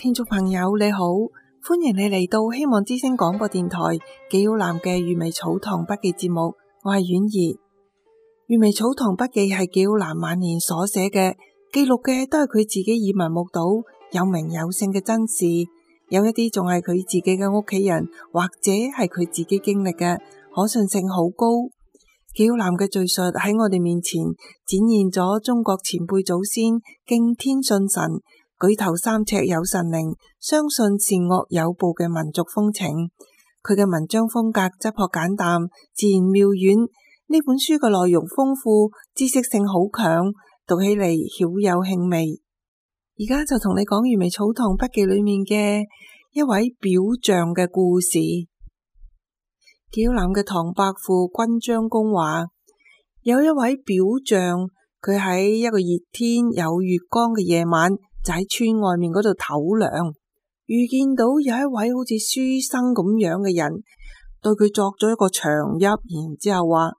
聽眾朋友你好，歡迎你嚟到希望之聲廣播電台紀曉嵐嘅閱微草堂筆記節目，我係婉兒。閱微草堂筆記係紀曉嵐晚年所寫嘅，記錄嘅都係佢自己耳聞目睹、有名有姓嘅真事，有一啲仲係佢自己嘅屋企人或者係佢自己經歷嘅，可信性好高。紀曉嵐嘅敘述喺我哋面前展現咗中國前輩祖先敬天信神、舉頭三尺有神靈，相信善惡有報嘅民族風情。佢嘅文章風格質樸簡淡，自然妙遠。呢本書嘅內容豐富，知識性好強，讀起嚟曉有興味。而家就同你講閱微草堂筆記裏面嘅一位表象嘅故事。紀曉嵐嘅唐伯父君張公話，有一位表象，佢喺一個熱天有月光嘅夜晚，就喺村外面嗰度唞涼，遇見到有一位好似書生咁樣嘅人，對佢作咗一個長揖，然之後話：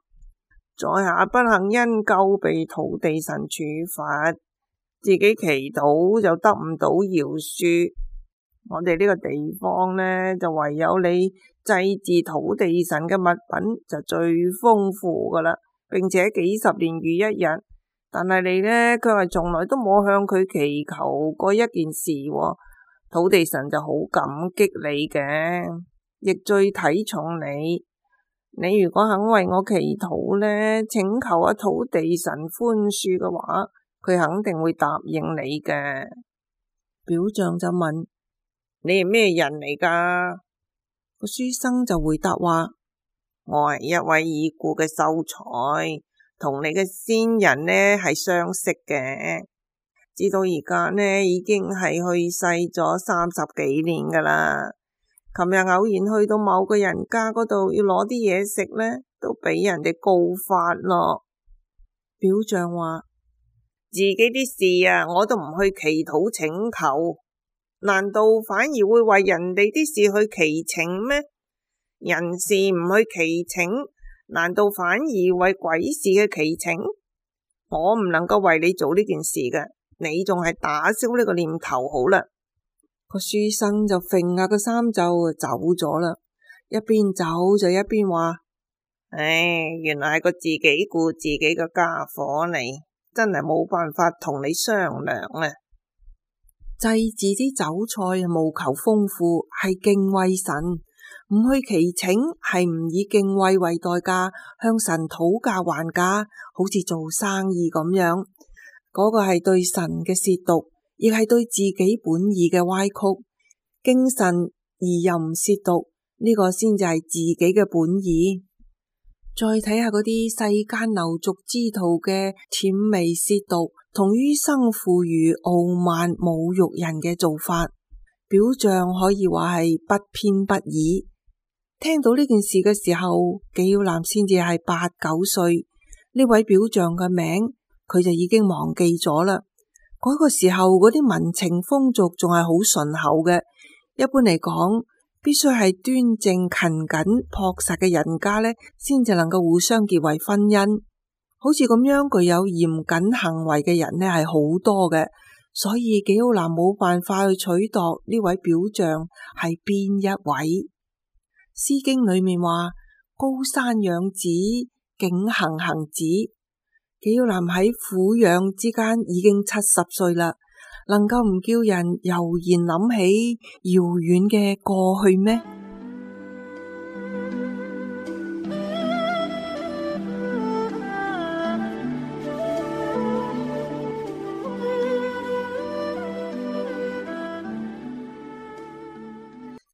在下不幸因舊被土地神處罰，自己祈禱就得唔到饒恕。我哋呢個地方呢，就唯有你祭祀土地神嘅物品就最豐富噶啦，並且幾十年如一日。但係你呢，佢係從來都冇向佢祈求過一件事，土地神就好感激你嘅，亦最睇重你。你如果肯為我祈禱呢，請求阿土地神寬恕嘅話，佢肯定會答應你嘅。表象就問：你係咩人嚟噶？個書生就回答話：我係一位已故嘅秀才，同你嘅先人呢係相識嘅，直到而家呢已經係去世咗30幾年噶啦。琴日偶然去到某個人家嗰度要攞啲嘢食呢，都俾人哋告發咯。表象話：自己啲事啊，我都唔去祈禱請求，難道反而會為人哋啲事去祈請咩？人事唔去祈請，難道反而為鬼事嘅祈請？我唔能夠為你做呢件事嘅，你仲係打消呢個念頭好啦。個書生就揈下個衫袖走咗啦，一邊走就一邊話：原來係個自己顧自己嘅家伙嚟，真係冇辦法同你商量啊！祭祀啲酒菜務求豐富，係敬畏神；唔去祈請，係唔以敬畏為代價向神討價還價，好似做生意咁樣。嗰個係對神嘅褻瀆，亦係對自己本意嘅歪曲。敬神而又唔褻瀆，呢個先至係自己嘅本意。再睇下嗰啲世間流俗之徒嘅諂媚褻瀆同於生婦孺傲慢侮辱人嘅做法，表象可以話係不偏不倚。聽到呢件事嘅時候，紀曉嵐先至係8、9歲，呢位表象嘅名佢就已經忘記咗啦。嗰個時候嗰啲民情風俗仲係好淳厚嘅，一般嚟講，必須係端正勤謹樸實嘅人家呢，先至能夠互相結為婚姻。好似咁樣具有嚴謹行為嘅人呢，係好多嘅，所以紀曉嵐冇辦法去取度呢位表象係邊一位。詩經裏面話：高山仰止，景行行止。紀曉嵐喺撫養之間已經70歲啦，能夠唔叫人悠然諗起遙遠嘅過去咩？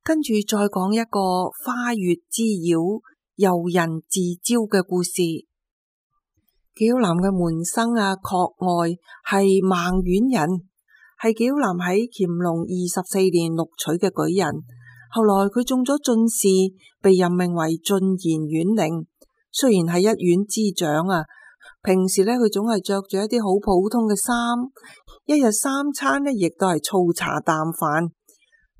跟住再講一個花月之妖、遊人自招嘅故事。紀曉嵐嘅門生郝外係孟縣人，係紀曉嵐喺乾隆24年錄取嘅舉人。後來佢中咗進士，被任命為進言縣令。雖然係一縣之長平時呢，佢總係着住一啲好普通嘅衫，一日3餐呢亦都係粗茶淡飯。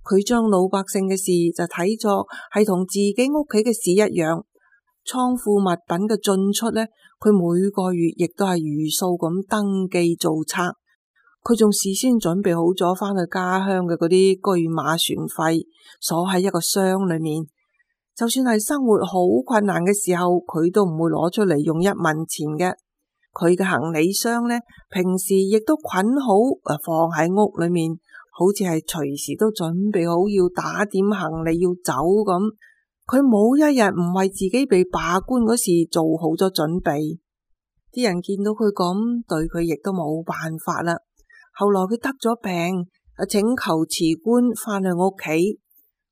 佢將老百姓嘅事就睇作係同自己屋企嘅事一樣。倉庫物品嘅進出呢，佢每個月亦都係如數咁登記造冊。佢仲事先準備好咗返去家鄉嘅嗰啲車馬船費，鎖喺一個箱裏面。就算係生活好困難嘅時候，佢都唔會攞出嚟用一文錢嘅。佢嘅行李箱呢，平時亦都捆好放喺屋裏面，好似係隨時都準備好要打點行李要走咁。佢冇一日唔為自己被罷官嗰時做好咗準備。啲人見到佢咁，對佢亦都冇辦法啦。後來佢得咗病，請求辭官返去屋企。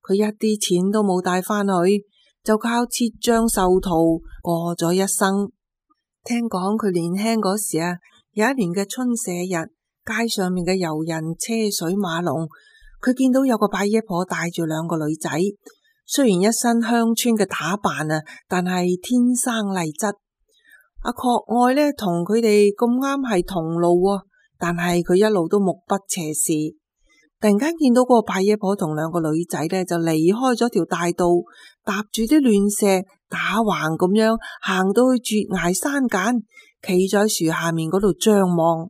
佢一啲錢都冇帶返去，就靠切醬受淘過咗一生。聽講佢年輕嗰時有一年嘅春社日，街上面嘅遊人車水馬龍，佢見到有個伯爺婆帶住兩個女仔，雖然一身鄉村嘅打扮但係天生麗質。阿郝愛呢，同佢哋咁啱係同路，但係佢一路都目不斜視。突然間見到嗰個伯爺婆同兩個女仔呢，就離開咗條大道，踏住啲亂石打橫咁樣行到去絕崖山間，企咗喺樹下面嗰度張望。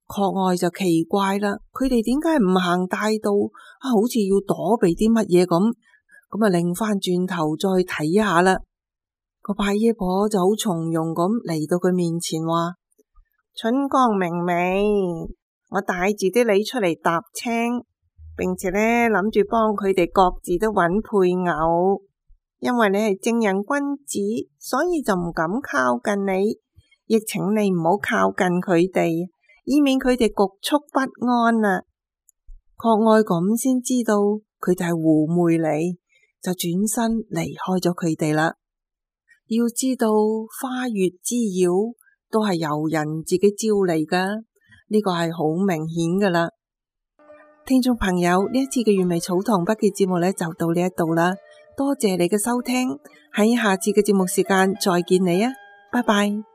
郝愛就奇怪啦，佢哋點解唔行大道好似要躲避啲乜嘢咁？咁擰翻轉頭再去睇下啦。個伯爺婆就好從容咁嚟到佢面前話：春光明媚，我帶住啲你出嚟踏青，並且呢諗住幫佢哋各自都揾配偶。因為你係正人君子，所以就唔敢靠近你，亦請你唔好靠近佢哋，以免佢哋局促不安啊。郝愛咁先知道佢就係狐媚嚟，就轉身離開咗佢哋啦。要知道花月之邀都係由人自己招嚟噶，呢個係好明顯噶啦。聽眾朋友，呢一次嘅粵微草堂筆記節目呢就到呢一度啦，多謝你嘅收聽，喺下次嘅節目時間再見你啊，拜拜。